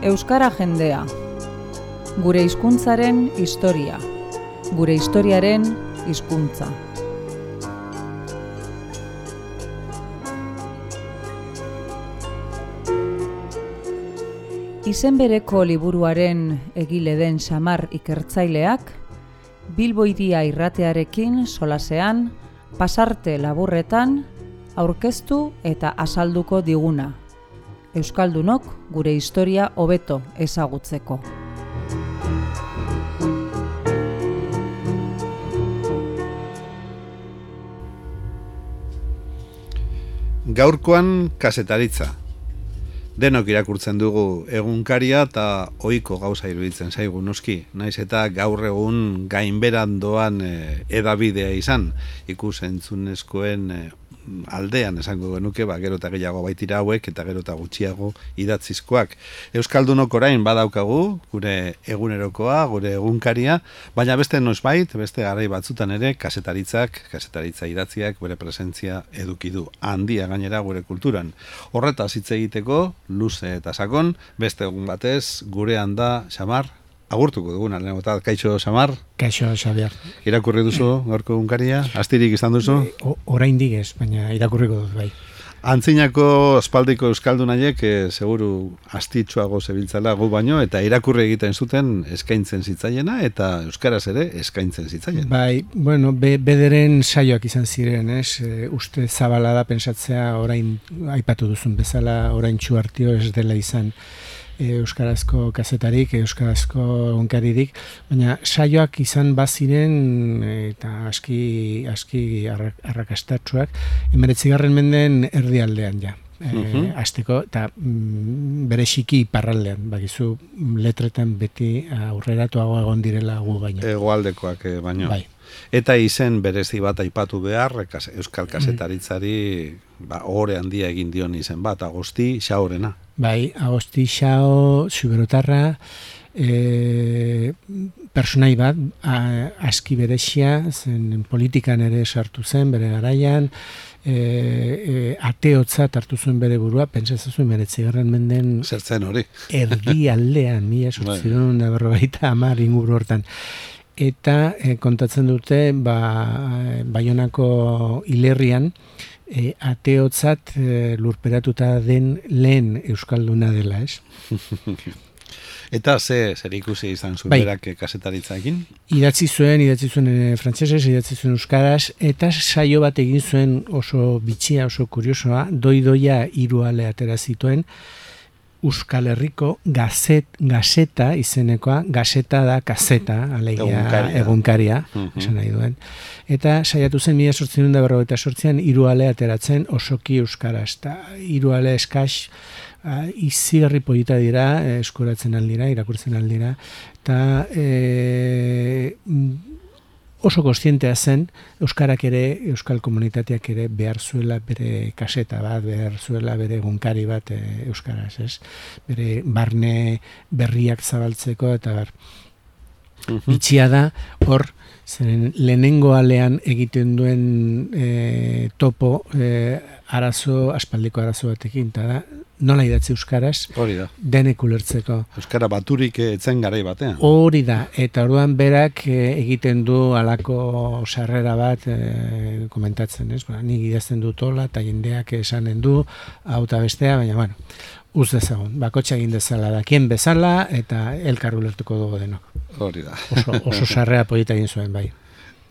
Euskara jendea. Gure hizkuntzaren historia. Gure historiaren hizkuntza. Izen bereko liburuaren egile den Xamar ikertzaileak, Bilbo Hiria irratearekin solasean, pasarte laburretan, aurkeztu eta azalduko diguna. Euskaldunok gure historia hobeto ezagutzeko. Gaurkoan kazetaritza. Denok irakurtzen dugu egunkaria eta ohiko gauza iruditzen zaigu noski. Naiz eta gaur egun gainberan doan edabidea izan, ikus-entzunezkoen aldean esango genuke, gero eta gehiago baitira hauek eta gero eta gutxiago idatzizkoak. Euskaldunok orain badaukagu, gure egunerokoa, gure egunkaria, baina beste noizbait, beste garai batzutan ere, kazetaritza idatziak bere presentzia eduki du. Handia gainera gure kulturan. Horretaz hitz egiteko, luze eta sakon, beste egun batez, gurean da Xamar, agurtuko duguna, kaixo Xamar? Kaixo Xabier. Irakurri duzu gaurko egunkaria? Astirik izan duzu? Oraindik ez, baina irakurriko dut bai. Antzinako aspaldiko euskaldunaiek seguru astitsuago zebiltzala gu baino, eta irakurri egiten zuten eskaintzen zitzaiena, eta euskaraz ere eskaintzen zitzaiena. Bai, bueno, bederen saioak izan ziren, uste zabala da pentsatzea orain aipatu duzun bezala, orain txuartio ez dela izan euskarazko kazetarik, euskarazko egunkaririk, baina saioak izan baziren eta aski arrakastatsuak 19. mendeen erdialdean ja. Hasteko eta bereziki iparraldean, bakizu letretan beti aurreratuago egon direla gu baino. Hegoaldekoak baino. Bai. Eta izen berezi bat aipatu behar, euskal kazetaritzari ohore handia egin dion izen bat, Agosti Xaorena. Bai, Agosti Xao, Zuberotarra, personai bat, aski berezia, zen politikan ere sartu zen, bere garaian, ateotzat hartu zuen bere burua, pentsazazuen 19. menden zertzen hori. Erdialdean, 1850 inguru hortan. Eta kontatzen dute Baionako hilerrian ateotzat lurperatuta den lehen euskalduna dela, ez? Eta zer ikusi izan zuen berak kazetaritzaekin? Idatzi zuen frantsesez, idatzi zuen euskaraz, eta saio bat egin zuen oso bitxia, oso kuriosoa, doidoia 3 ale atera zituen, Euskal Herriko gazeta izenekoa, gazeta da kazeta, alegia egunkaria, esan nahi duen. Eta saiatu zen 1848an 3 ale ateratzen osoki euskaraz. Eta 3 ale eskaz izigarri polita dira, eskuratzen aldira, irakurtzen aldira. Eta oso kontzientea zen, euskarak ere, euskal komunitateak ere behar zuela bere kaseta bat, behar zuela bere egunkari bat euskaraz, ez? Bere barne berriak zabaltzeko eta bar. Bitxia da, hor, zeren lehenengo alean egiten duen topo aspaldiko arazo batekin, eta da, nola idatzi euskaraz, denek ulertzeko. Euskara baturik etzen garai batean. Hori da, eta orduan berak egiten du halako sarrera bat komentatzen, ez? Nik idazten dut hola, eta jendeak esanen du, hau eta bestea, baina, bueno, uz dezagun, bakotxa egin dezala dakien bezala, eta elkar ulertuko dugu denok. Hori da. Oso sarrera polita egin zuen, bai.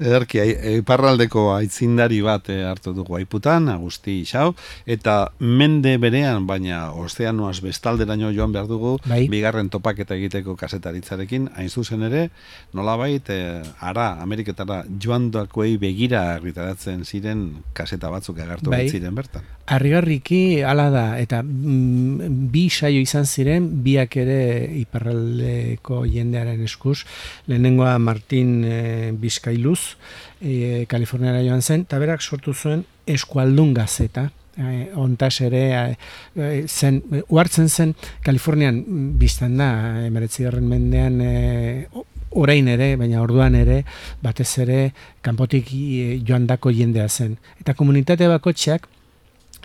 Ederki, iparraldeko aitzindari bat hartu dugu aiputan, Agosti Xao, eta mende berean, baina ozeanoaz bestalderaino joan behar dugu, bigarren topaketa egiteko kazetaritzarekin, hain zuzen ere, nolabait, Ameriketara joan dakoei begira argitaratzen ziren kazeta batzuk agertu ziren bertan. Harrigarriki hala da, eta 2 saio izan ziren, biak ere iparraldeko jendearen eskuz, lehenengoa Martin Bizkailuz, Kaliforniara joan zen, eta berak sortu zuen Eskualdun gazeta. Ontaz ere uhartzen zen Kalifornian biztan da, 19. mendean orain ere, baina orduan ere, batez ere kanpotik joandako jendea zen. Eta komunitate bakotxeak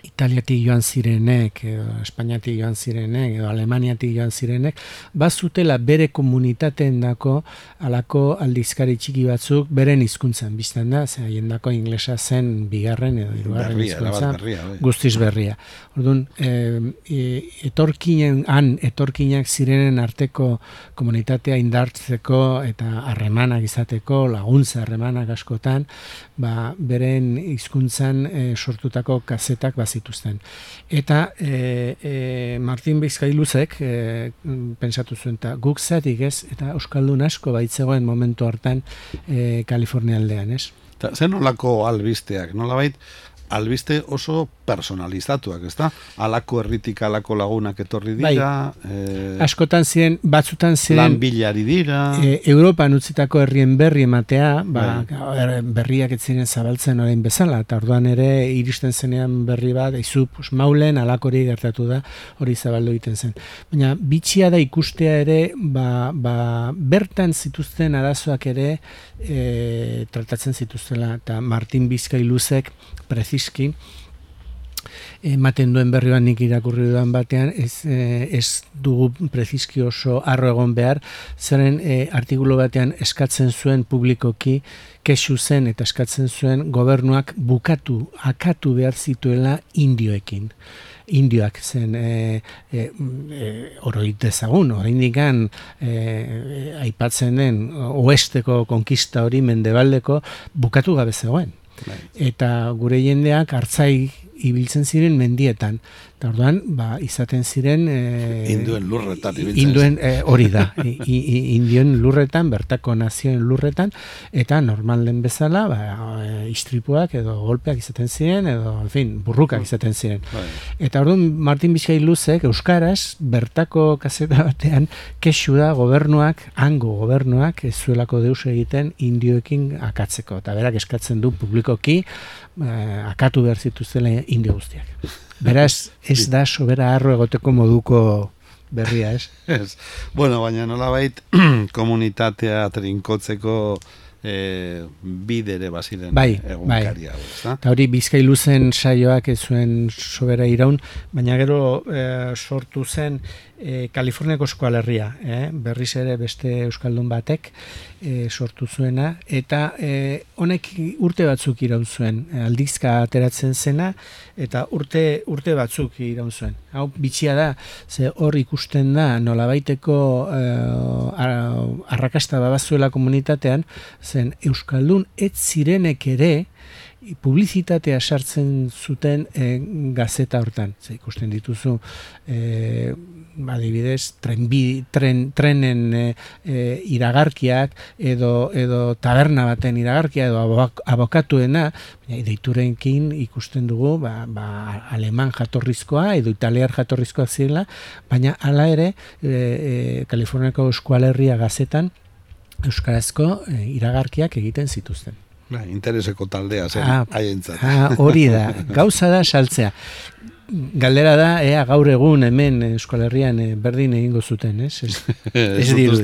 Italiatik joan zirenek, edo Espainiatik joan zirenek, edo Alemaniatik joan zirenek, bazutela bere komunitateen dako alako aldizkari txiki batzuk beren hizkuntzan biztan da, ze haiendako inglesa zen bigarren edo hirugarren hizkuntza, guztiz berria. Orduan, etorkinak zirenen arteko komunitatea indartzeko eta harremanak izateko, laguntza harremanak askotan, beren hizkuntzan sortutako kazetak bazituzten. Eta Martin Bizkailuzek pentsatu zuen, eta guk zatik ez, eta euskaldun asko baitzegoen momentu hartan Kalifornia aldean, ez? Zer nolako albisteak, nolabait albiste oso personalizatuak, ezta? Alako herritik alako lagunak etorri dira, askotan ziren, batzutan ziren lan bilari dira, Europan utzitako herrien berri ematea, berriak ez ziren zabaltzen orain bezala, eta orduan ere iristen zenean berri bat, maulen alakori gertatu da, hori zabaldu egiten zen. Baina bitxia da ikustea ere, bertan zituzten arazoak ere tratatzen zituztela, eta Martin Bizkailuzek preziski ematen duen berrioan nik irakurri dudan batean, ez dugu preziski oso harro egon behar, zeren artikulu batean eskatzen zuen publikoki, kexu zen eta eskatzen zuen gobernuak akatu behar zituela indioekin. Indioak zen oroit dezagun, oraindikan aipatzen den oesteko konkista hori mendebaldeko bukatu gabe zegoen. Eta gure jendeak hartzai ibiltzen ziren mendietan. Eta orduan, izaten ziren induen lurretan ibiltzen. Hori da. Indioen lurretan, bertako nazioen lurretan, eta normal den bezala, istripuak edo golpeak izaten ziren, edo, en fin, burrukak izaten ziren. Eta orduan, Martin Bizkailuzek euskaraz, bertako kaseta batean, kexu da hango gobernuak, ez zuelako deus egiten indioekin akatzeko. Eta berak eskatzen du publikoki, akatu behar zituztela indio guztiak. Beraz, ez da sobera harro egoteko moduko berria, ez? Ez. Bueno, baina nolabait komunitatea trinkotzeko bidere baziren egunkaria. Eta hori Bizkailuzen saioak ez zuen sobera iraun, baina gero sortu zen Kaliforniako eskualerria, berriz ere beste euskaldun batek sortu zuena, eta honek urte batzuk iraun zuen, aldizka ateratzen zena, eta urte batzuk iraun zuen. Hau bitxia da, ze hor ikusten da nolabaiteko arrakasta babazuela komunitatean, zen euskaldun ez zirenek ere publizitatea sartzen zuten gazeta hortan. Ikusten dituzu adibidez, trenen iragarkiak edo taberna baten iragarkia edo abokatuena, deiturenkin ikusten dugu aleman jatorrizkoa edo italiar jatorrizkoa zirela, baina hala ere Kaliforniako eskualerria gazetan euskarazko iragarkiak egiten zituzten. Intereseko taldea zen, haientzat. Hori da, gauza da saltzea. Galdera da, gaur egun hemen Euskal Herrian berdin egingo zuten, ez? Ez dirudi.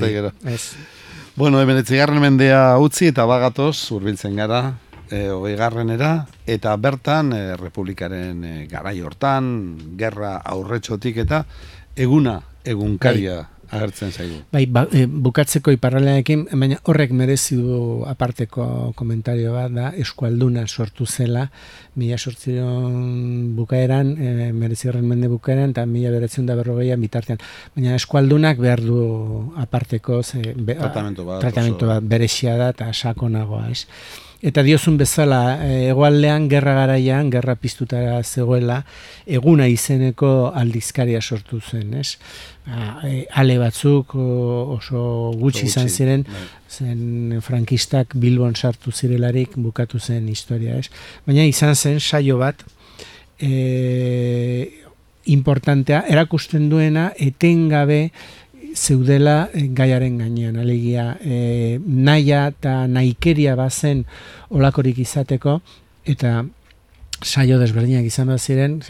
Bueno, 19. mendea utzi eta bagatoz, hurbiltzen gara, 20. eta bertan, Republikaren garai hortan, gerra aurretxotik eta egunkaria agertzen zaigu. Bukatzeko iparraldearekin, baina horrek merezi du aparteko komentario bat da, eskualduna sortu zela, 1800 bukaeran, 19. mende bukaeran, eta 1940 bitartean. Baina eskualdunak behar du aparteko tratamentu bat berexia da eta sakonagoa, ez? Eta diozun bezala, hegoaldean gerra garaian, gerra piztutara zegoela, eguna izeneko aldizkaria sortu zen, ez? Ale batzuk oso gutxi izan ziren, zen frankistak Bilbon sartu zirelarik bukatu zen historia, ez? Baina izan zen saio bat, importantea, erakusten duena, etengabe zeudela gaiaren gainean, alegia nahia eta nahikeria bazen olakorik izateko, eta saio desberdinak izan bat ziren,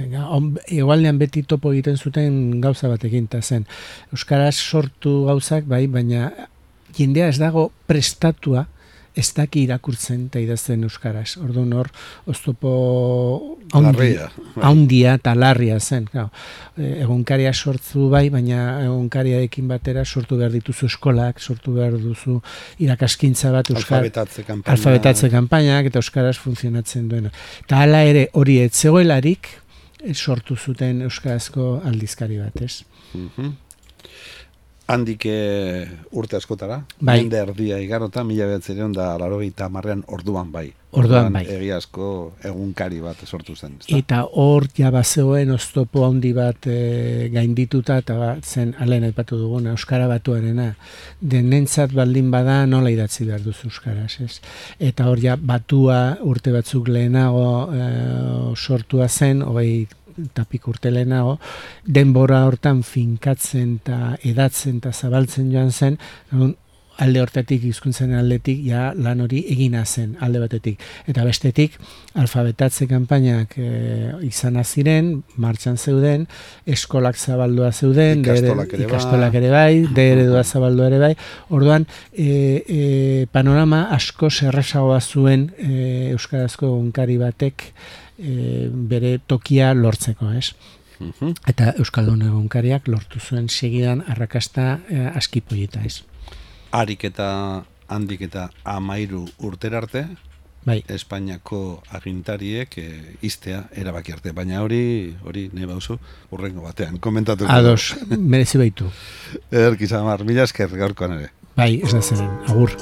egualdean beti topo egiten zuten gauza batekin, eta zen euskaraz sortu gauzak, baina jendea ez dago prestatua ez daki irakurtzen eta idazten euskaraz. Orduan hor, oztopo haundia eta larria zen. Egunkaria sortzu bai, baina egunkariarekin batera sortu behar dituzu eskolak, sortu behar duzu irakaskintza bat alfabetatze kanpainak eta euskaraz funtzionatzen duena. Eta hala ere hori ez zegoelarik sortu zuten euskarazko aldizkari bat, ez? Handik urte askotara, mende erdia igarota, 1980 orduan bai. Orduan bai. Egia asko egunkari bat sortu zen. Eta hor ja bazegoen oztopo handi bat gaindituta, eta zen alen aipatu duguna, euskara batuarena. Denentzat baldin bada nola idatzi behar duzu euskaraz, ez? Eta hor ja batua urte batzuk lehenago sortua zen, tapik urte lehenago, denbora hortan finkatzen eta edatzen eta zabaltzen joan zen, alde hortatik, hizkuntzen aldetik, ja lan hori egina zen alde batetik. Eta bestetik, alfabetatze kanpainak izan ziren, martxan zeuden, eskolak zabaldua zeuden, ikastolak ere bai, eredua zabaldua ere bai. Orduan, panorama asko errazagoa zuen euskarazko egunkari batek bere tokia lortzeko, ez? Eta euskaldun egunkariak lortu zuen segidan arrakasta askipoieta, ez? Harik eta handik eta 13 urtera arte, bai. Espainiako agintariek iztea erabaki arte, baina hori nahi bauzu urrengo batean komentatu. Ados, merezi baitu. Ederki Samar, mila esker gaurkoan ere. Bai, ez da zeren, agur.